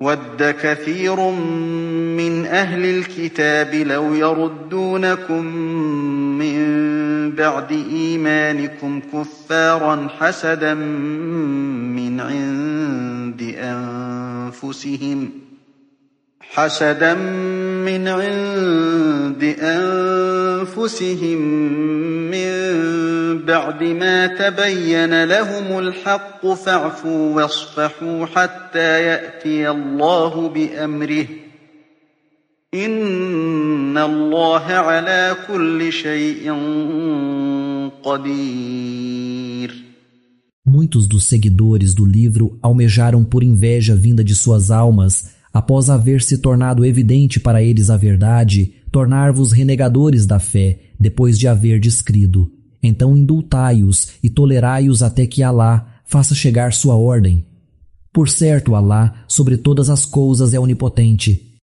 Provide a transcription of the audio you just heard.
وَدَّ كَثِيرٌ مِّنْ أَهْلِ الْكِتَابِ لَوْ يَرُدُّونَكُم مِّن بَعْدِ إِيمَانِكُمْ كُفَّارًا حَسَدًا مِّنْ عِندِ أَنفُسِهِم مِّن بَعْدِ مَا تَبَيَّنَ لَهُمُ الْحَقُّ فَاعْفُوا وَاصْفَحُوا حَتَّىٰ يَأْتِيَ اللَّهُ بِأَمْرِهِ ۗ إِنَّ اللَّهَ عَلَىٰ كُلِّ شَيْءٍ قَدِيرٌ. Muitos dos seguidores do livro almejaram por inveja vinda de suas almas, após haver se tornado evidente para eles a verdade, tornar-vos renegadores da fé, depois de haver descrido. Então indultai-os e tolerai-os até que Alá faça chegar sua ordem. Por certo, Alá, sobre todas as coisas, é onipotente.